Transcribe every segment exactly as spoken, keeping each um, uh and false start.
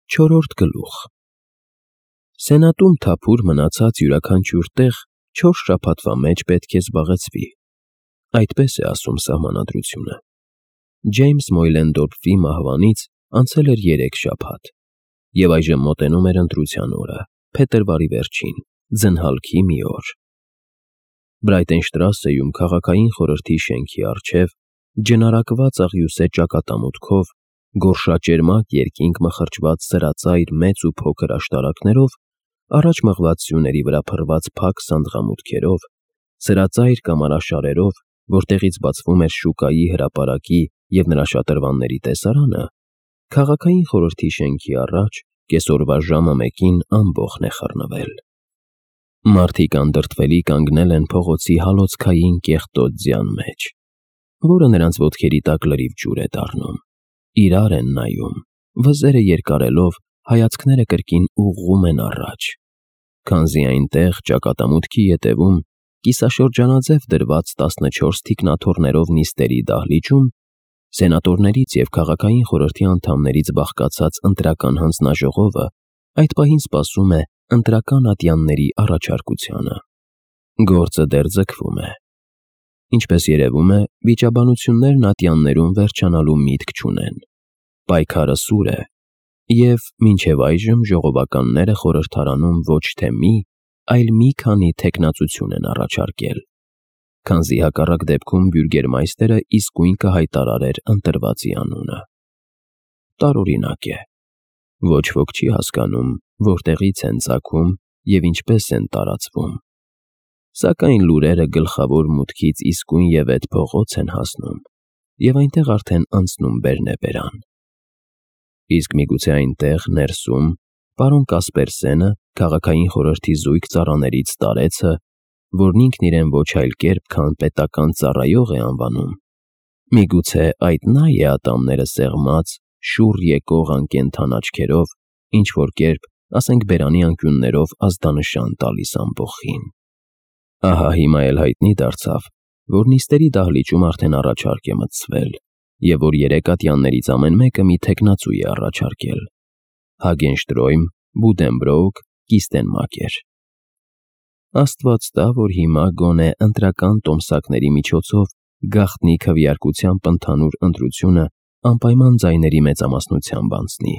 Չորրորդ գլուխ Սենատում թափուր մնացած յուրաքանչյուր տեղ չորս շաբաթվա մեջ պետք է զբաղեցվի, այդպես է ասում սահմանադրությունը։ Ջեյմս Մոյլենդորֆի մահվանից անցել էր երեք շաբաթ, և այժմ մոտենում էր ընտրության օրը, փետրվարի վերջին, ձնհալքի մի օր։ Բրայտենշտրասեում քաղաքային խորհրդի շենքի առջև, ջնարակված աղյուսե ճակատամուտքով, գորշաճերմակ երկինք մխրճված սրածայր մեծ ու փոքր աշտարակներով, առաջ մղված սյուների վրա փռված փակ սանդղամուտքերով, սրածայր կամարաշարերով, որտեղից բացվում էր շուկայի հրապարակի և նրա շատրվանների տեսարանը, քաղաքային խորհրդի շենքի առաջ կեսօրվա ժամը մեկին ամբոխն է խռնվել։ Մարդիկ անդրդվելի կանգնել են փողոցի հալոցքային կեղտոտ ձյան մեջ, որը նրանց ոտքերի տակ լրիվ ջուր է դառնում, իրար են նայում, վզերը երկարելով, հայացքները կրկին ուղղում են առաջ, քանզի այնտեղ, ճակատամուտքի ետևում, կիսաշրջանաձև դրված տասնչորս թիկնաթոռներով նիստերի դահլիճում, սենատորներից և քաղաքային խորհրդի անդամներից բաղկացած ընտրական հանձնաժողովը այդ պահին սպասում է ընտրական ատյանների առաջարկությանը։ Գործը դեռ ձգվում է։ Ինչպես երևում է, վիճաբանություններն ատյաններում վերջանալու միտք չունեն։ Պայքարը սուր է, և մինչև այժմ ժողովականները խորհրդարանում ոչ թե մի, այլ մի քանի թեկնածություն են առաջարկել, քանզի հակառակ դեպքում բյուրգերմայստերը իսկույն կհայտարարեր ընտրվածի անունը։ Տարօրինակ է։ Ոչ ոք չի հասկանում, որտեղից են ծագում և ինչպես են տարածվում, սակայն լուրերը գլխավոր մուտքից իսկույն և էդ փողոց են հասնում, և այնտեղ արդեն անցնում բերնեբերան։ Իսկ միգուցե այնտեղ, ներսում, պարոն Կասպերսենը, քաղաքային խորհրդի զույգ ծառաներից տարեցը, որն ինքն իրեն ոչ այլ կերպ, քան պետական ծառայող է անվանում, միգուցե այդ նա է ատամները սեղմած, շուռ եկող անկենդան աչքերով, ինչ-որ կերպ, ասենք բերանի անկյուններով ազդանշան տալիս ամբոխին։ Ահա հիմա էլ հայտնի դարձավ, որ նիստերի դահլիճում արդեն առաջարկ է մտցվել, և որ երեք ատյաններից ամեն մեկը մի թեկնածու է առաջարկել. Հագենշտրոյմ, Բուդենբրոուք, Կիստենմակեր։ Աստված տա, որ հիմա գոնե ընտրական տոմսակների միջոցով գաղտնի քվեարկությամբ ընդհանուր ընտրությունը անպայման ձայների մեծամասնությամբ անցնի,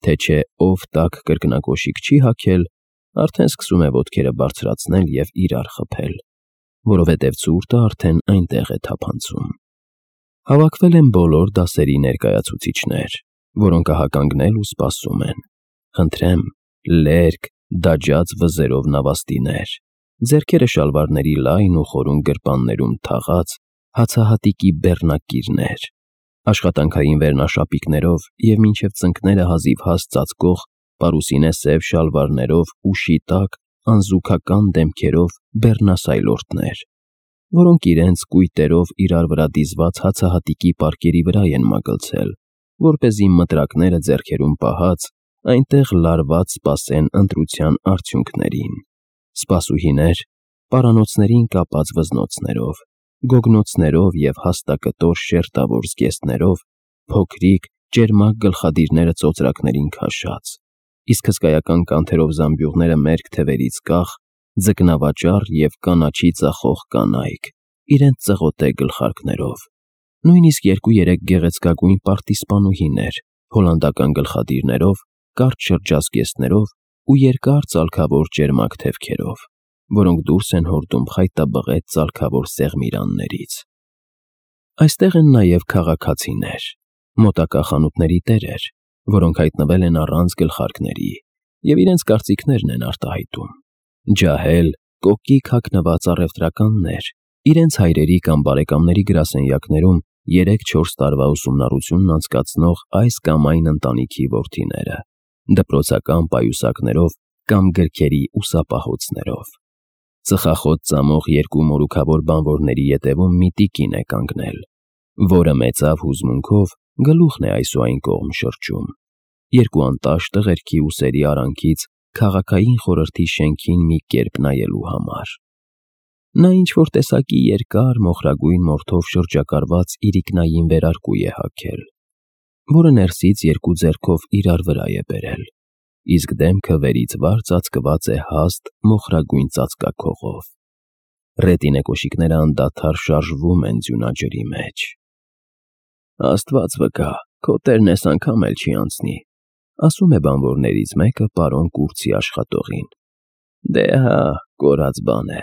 թե չէ ով տաք կրկնակոշիկ չի հագել, արդեն սկսում է ոտքերը բարձրացնել և իրար խփել, որովհետև ցուրտը արդեն այնտեղ է թափանցում։ Հավաքվել են բոլոր դասերի ներկայացուցիչներ, որոնք ահականգնել ու սպասում են։ Խնդրեմ, լերկ, դաջած վզերով նավաստիներ, ձեռքերը շալվարների լայն ու խորուն գրպաններում թաղած, հացահատիկի բեռնակիրներ, աշխատանքային վերնաշապիկներով և մինչև ծնկները հազիվ հաստ ծածկող պարուսինե սև շալվարներով ուշի տակ անզուգական դեմքերով բեռնասայլորդներ, որոնք իրենց կույտերով իրար վրա դիզված հացահատիկի պարկերի վրա են մագլցել, որպեսզի մտրակները ձեռքերում պահած, այնտեղ լարված սպասեն ընտրության արդյունքներին։ Սպասուհիներ, պարանոցներին կապած վզնոցներով, գոգնոցներով և հաստակտոր շերտավոր զգեստներով, փոքրիկ, ճերմակ գլխադիրները ծոծրակներին քաշած, իսկ հսկայական կանթերով զամբյուղները մերկ թևերից կախ, ձկնավաճառ և կանաչի ծախող կանայք, իրենց ծղոտե գլխարկներով, նույնիսկ երկու-երեք գեղեցկագույն պարտիզպանուհիներ, հոլանդական գլխադիրներով, կարճ շրջազգեստներով ու երկար ծալքավոր ճերմակ թևքերով, որոնք դուրս են հորդում խայտաբղետ ծալքավոր սեղմիրաններից։ Այստեղ են նաև քաղաքացիներ, մոտակա խանութների տերեր, որոնք հայտնվել են առանց գլխարկների և իրենց կարծիքներն են արտահայտում, ջահել, կոկիկ հագնված առևտրականներ, իրենց հայրերի կամ բարեկամների գրասենյակներում երեք-չորս տարվա ուսումնառությունն անցկացնող այս կամ այն ընտանիքի որդիները, դպրոցական պայուսակներով կամ գրքերի ուսապահոցներով։ Ծխախոտ ծամող երկու մորուքավոր բանվորների ետևում մի տիկին է կանգնել, որը մեծավ հուզմունքով գլուխն է այս ու այն կողմ շրջում, երկու անտաշ տղերքի ուսերի արանքից քաղաքային խորհրդի շենքին մի կերպ նայելու համար։ Նա ինչ-որ տեսակի երկար մոխրագույն մորթով շրջակալված իրիկնային վերարկու է հագել, որը ներսից երկու ձեռքով իրար վրա է բերել, իսկ դեմքը վերից վար ծածկված է հաստ մոխրագույն ծածկաքողով։ Ռետինե կոշիկները անդադար շարժվում են ձյունաջրի մեջ։ Աստված վկա, քո տերն էս անգամ էլ չի անցնի, ասում է բանվորներից մեկը պարոն Կուրծի աշխատողին։ Դե հա, կորած բան է,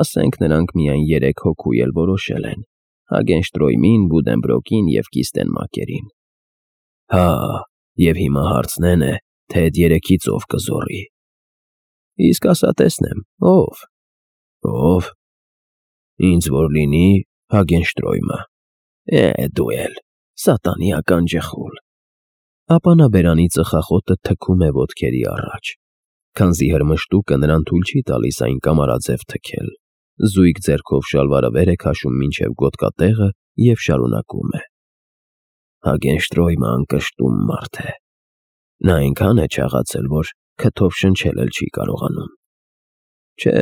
ասենք նրանք միայն երեք հոգու էլ որոշել են, Հագենշտրոյմին, Բուդենբրոկին և Կիստենմակերին։ Հա, և հիմա հարցնեն է, թե էդ երեքից ով կզոռի։ Իսկ ասա տեսնեմ, ով։ Ով։ Ինձ որ լինի Հագենշտրոյմը։ Է, դու էլ, սատանի ականջխուլ։ Ապա նա բերանի ծխախոտը թքում է ոտքերի առաջ, քանզի հրմշտուկը նրան թույլ չի տալիս այն կամարաձև թքել, զույգ ձեռքով շալվարը վեր է քաշում մինչև գոտկատեղը և շարունակում է. Հագենշտրոյմը անկշտում մարդ է։ Նա այնքան է չաղացել, որ քթով շնչել էլ չի կարողանում։ Չէ,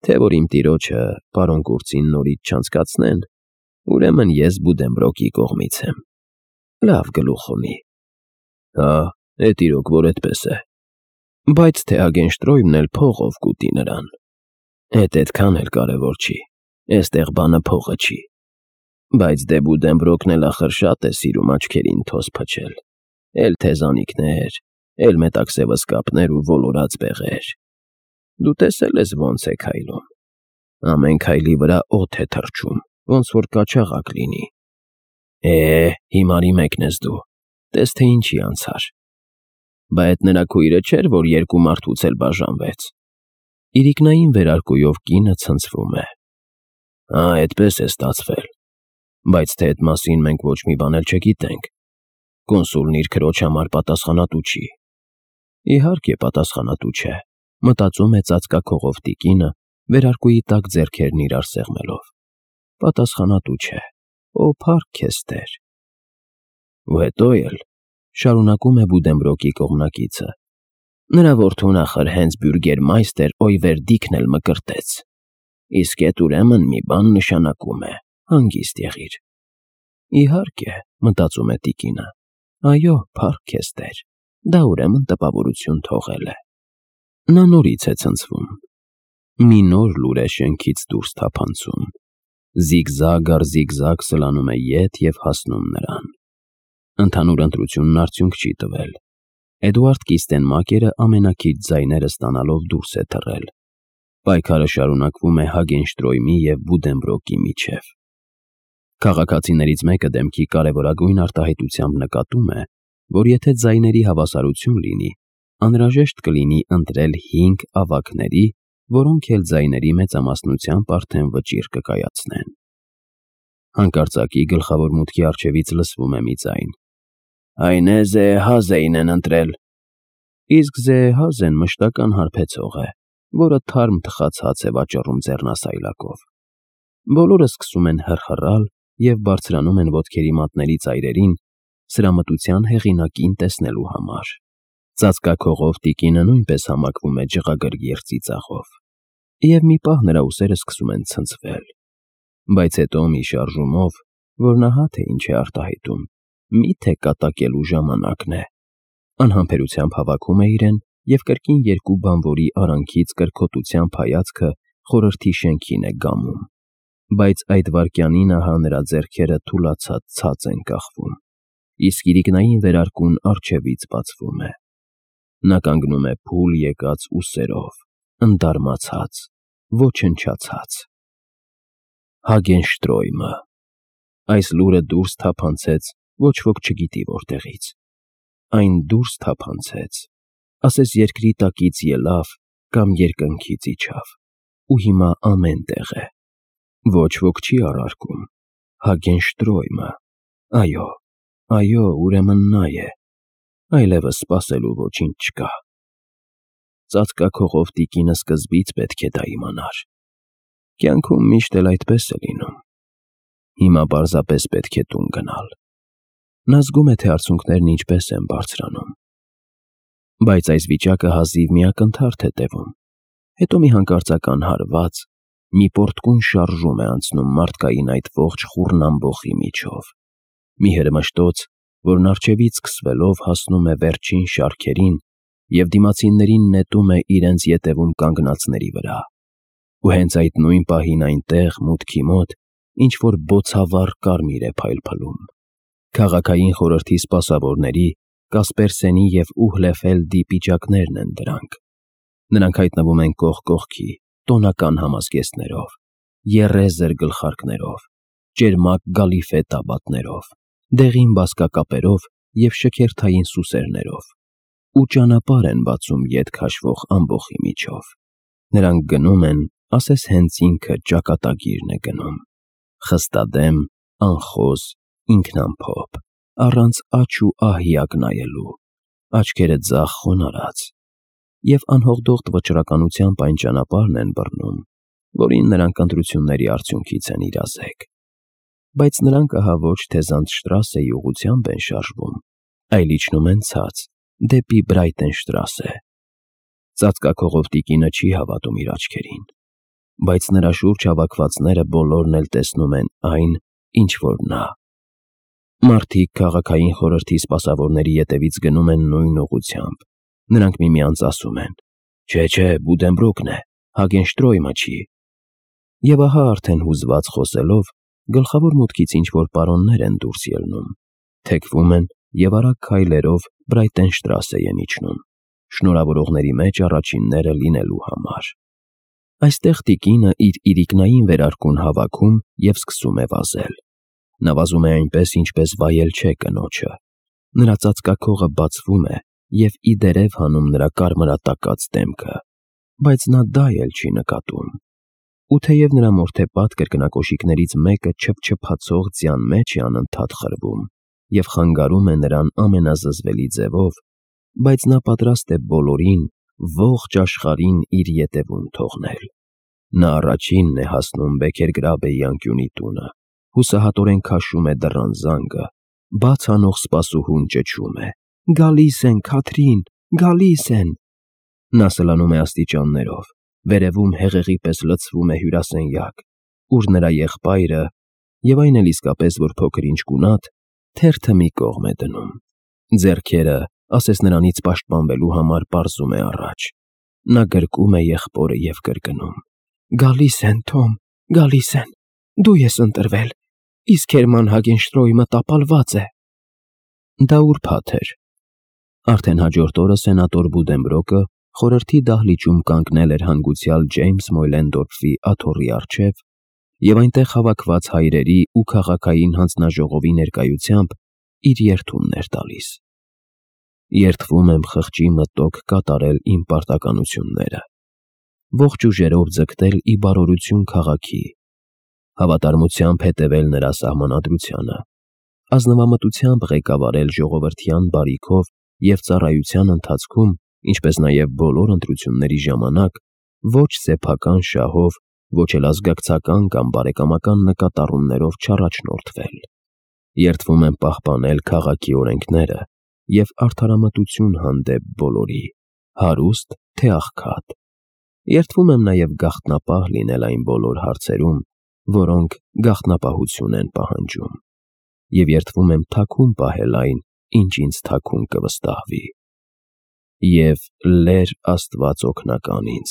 թե որ իմ տիրոջը, պարոն Կուրծին նորից չանցկացնեն, ուրեմն ես Բուդենբրոկի կողմից եմ։ Լավ գլուխ ունի։ Հա, էդ իրոք որ էդպես է։ Բայց թե Հագենշտրոյմն էլ փողով կուտի նրան։ Էդ էդքան էլ կարևոր չի, էստեղ բանը փողը չի։ Բայց դե Բուդենբրոկն էլ ախր շատ է սիրում աչքերին թոզ փչել, էլ թեզանիքներ, էլ մետաքսևսկապներ ու ոլորած բեղեր։ Դու տեսել ես ոնց է քայլում։ Ամեն քայլի վրա օդ է թռչում, ոնց որ կաչաղակ լինի։ Է, հիմարի մեկն ես դու, տես թե ինչի անցար։ Բա էդ նրա քույրը չէր, որ երկու մարդուց էլ բաժանվեց։ Իրիկնային վերարկուով կինը ցնցվում է։ Հա, այդպես է ստացվել։ Բայց թե այդ մասին մենք ոչ մի բան էլ չգիտենք։ Կոնսուլն իր քրոջ համար պատասխանատու չի։ Իհարկե պատասխանատու չէ, մտածում է ծածկաքողով տիկինը, վերարկուի տակ ձեռքերն իրար սեղմելով։ Պատասխանատու չէ, ո փառք քեզ Տեր։ Ու հետո էլ, շարունակում է Բուդենբրոկի կողմնակիցը, նրա որդուն ախր հենց բյուրգերմայստեր Օյվերդիքն էլ մկրտեց։ Իսկ էդ ուրեմն մի բան նշանակում է, հանգիստ եղիր։ Իհարկե, մտածում է տիկինը, այո, փառք քեզ Տեր, դա ուրեմն տպավորություն թողել է։ Նա նորից է ցնցվում։ Մի նոր լուր է շենքից դուրս թափանցում, զիգզագ առ զիգզագ սլանում է ետ և հասնում նրան։ Ընդհանուր ընտրությունն արդյունք չի տվել։ Էդուարդ Կիստենմակերը ամենաքիչ ձայները ստանալով դուրս է թռել։ Պայքարը շարունակվում է Հագենշտրոյմի և Բուդենբրոկի միջև։ Քաղաքացիներից մեկը դեմքի կարևորագույն արտահայտությամբ նկատում է, որ եթե ձայների հավասարություն լինի, անհրաժեշտ կլինի ընտրել հինգ ավագների, որոնք էլ ձայների մեծամասնությամբ արդեն վճիռ կկայացնեն։ Հանկարծակի գլխավոր մուտքի առջևից լսվում է մի ձայն. Այն է Զեհազեին են ընտրել։ Իսկ Զեհազեն մշտական հարբեցող է, որը թարմ թխած հաց է վաճառում ձեռնասայլակով։ Բոլորը սկսում են հռհռալ և բարձրանում են ոտքերի մատների ծայրերին սրամտության հեղինակին տեսնելու համար։ Ծածկաքողով տիկինը նույնպես համակվում է ջղագրգիռ ծիծաղով։ Եվ մի պահ նրա ուսերը սկսում են ցնցվել։ Բայց հետո մի շարժումով, որ նա հա թե ինչ է արտահայտում, միթե կատակելու ժամանակն է, անհամբերությամբ հավաքում է իրեն և կրկին երկու բանվորի արանքից կրքոտությամբ հայացքը խորհրդի շենքին է գամում։ Բայց այդ վայրկյանին ահա նրա ձեռքերը թուլացած ցած են կախվում, իսկ իրիկնային վերարկուն առջևից բացվում է։ Նա կանգնում է փուլ եկած ուսերով, ընդարմացած, ոչնչացած։ Հագենշտրոյմը։ Այս լուրը դուրս թափանցեց ոչ ոք չգիտի որտեղից։ Այն դուրս թափանցեց, ասես երկրի տակից ելավ կամ երկնքից իջավ, ու հիմա ամեն տեղ է։ Ոչ ոք չի առարկում։ Հագենշտրոյմը։ Այո, այո, ուրեմն նա է։ Այլևս սպասելու ոչինչ չկա։ Ծածկաքողով տիկինը սկզբից պետք է դա իմանար։ Կյանքում միշտ էլ այդպես է լինում։ Հիմա պարզապես պետք է տուն գնալ։ Նա զգում է, թե արցունքներն ինչպես են բարձրանում։ Բայց այս վիճակը հազիվ մի ակնթարթ է տևում։ Հետո մի հանկարծական հարված, մի պոռթկուն շարժում է անցնում մարդկային այդ ողջ խուռն ամբոխի միջով։ Մի հրմշտոց, որն առջևից սկսվելով հասնում է վերջին շարքերին և դիմացիններին նետում է իրենց ետևում կանգնածների վրա։ Ու հենց այդ նույն պահին այնտեղ, մուտքի մոտ, ինչ-որ բոցավառ կարմիր է փայլփլում։ Քաղաքային խորհրդի սպասավորների, Կասպերսենի և Ուհլեֆելդի պիճակներն են դրանք։ Նրանք հայտնվում են կողք կողքի, տոնական համազգեստներով, եռեզր գլխարկներով, ճերմակ գալիֆե տաբատներով, դեղին բազկակապերով և շքերթային սուսերներով, ու ճանապարհ են բացում ետ քաշվող ամբոխի միջով։ Նրանք գնում են, ասես հենց ինքը ճակատագիրն է գնում, խստադեմ, անխոզ, ինքնամփոփ, առանց աջ ու ահիակ նայելու, աչքերը ձախ խոնարհած, և անհողդող վճռականությամբ այն ճանապարհն են բռնում, որին նրանք ընտրությունների արդյունքից են իրազեկ։ Բայց նրանք ահա ոչ թե Զանդշտրասեի ուղղությամբ են շարժվում, այլ իջնում են ցած, դեպի Բրայտենշտրասե։ Ծածկաքողով տիկինը չի հավատում իր աչքերին, բայց նրա շուրջ հավաքվածները բոլորն էլ տեսնում են այն, ինչ որ նա։ Մարդիկ քաղաքային խորհրդի սպասավորների ետևից գնում են նույն ուղղությամբ։ Նրանք միմյանց ասում են. «Չէ, չէ, Բուդենբրոկն է, Հագենշտրոյմը չի»։ Եվ ահա արդեն հուզված խոսելով, գլխավոր մուտքից ինչ-որ պարոններ են դուրս ելնում, թեքվում են և արագ քայլերով Բրայտենշտրասե են իջնում, շնորհավորողների մեջ առաջինները լինելու համար։ Այստեղ տիկինը իր իրիկնային վերարկուն հավաքում և սկսում է վազել։ Նա վազում է այնպես, ինչպես վայել չէ կնոջը։ Նրա ծածկաքողը բացվում է և ի դերև հանում նրա կարմրատակած դեմքը, բայց նա դա էլ չի նկատում։ Ու թեև նրա մորթեպատ կրկնակոշիկներից մեկը չփչփացող ձյան մեջ է անընդհատ խրվում և խանգարում է նրան ամենազզվելի ձևով, բայց նա պատրաստ է բոլորին, ողջ աշխարհին իր ետևում թողնել։ Նա առաջինն է հասնում Բեքերգրաբեի անկյունի տունը, հուսահատորեն քաշում է դռան զանգը, բաց անող սպասուհուն ճչում է. «Գալիս են, Քաթրին, գալիս են»։ Նա սլանում է աստիճաններով, վերևում հեղեղի պես լցվում է հյուրասենյակ, ուր նրա եղբայրը, և այն էլ իսկապես որ փոքր-ինչ գունատ, թերթը մի կողմ է դնում, ձեռքերը, ասես նրանից պաշտպանվելու համար, պարզում է առաջ։ Նա գրկում է եղբորը և կրկնում. «Գալիս են, Թոմ, գալիս են, դու ես ընտրվել, իսկ Հերման Հագենշտրոյմը տապալված է»։ Դա ուրբաթ էր։ Արդեն հաջորդ օրը սենատոր Բուդենբրոկը խորհրդի դահլիճում կանգնել էր հանգուցյալ Ջեյմս Մոյլենդորֆի աթոռի առջև և այնտեղ հավաքված հայրերի ու քաղաքային հանձնաժողովի ներկայությամբ իր երդումն էր տալիս։ «Երդվում եմ խղճի մտոք կատարել իմ պարտականությունները, ողջ ուժերով ձգտել ի բարօրություն քաղաքի, հավատարմությամբ հետևել նրա սահմանադրությանը, ազնվամտությամբ ղեկավարել ժողովրդյան բարիքով և ծառայության ընթացքում, ինչպես նաև բոլոր ընտրությունների ժամանակ, ոչ սեփական շահով, ոչ էլ ազգակցական կամ բարեկամական նկատառումներով չառաջնորդվել։ Երդվում եմ պահպանել քաղաքի օրենքները և արդարամտություն հանդեպ բոլորի, հարուստ թե աղքատ։ Երդվում եմ նաև գաղտնապահ լինել այն բոլոր հարցերում, որոնք գաղտնապահություն են պահանջում, և երդվում եմ թաքուն պահել այն, ինչ ինձ թաքուն կվստահվի։ Եվ լեր Աստված օգնական ինձ,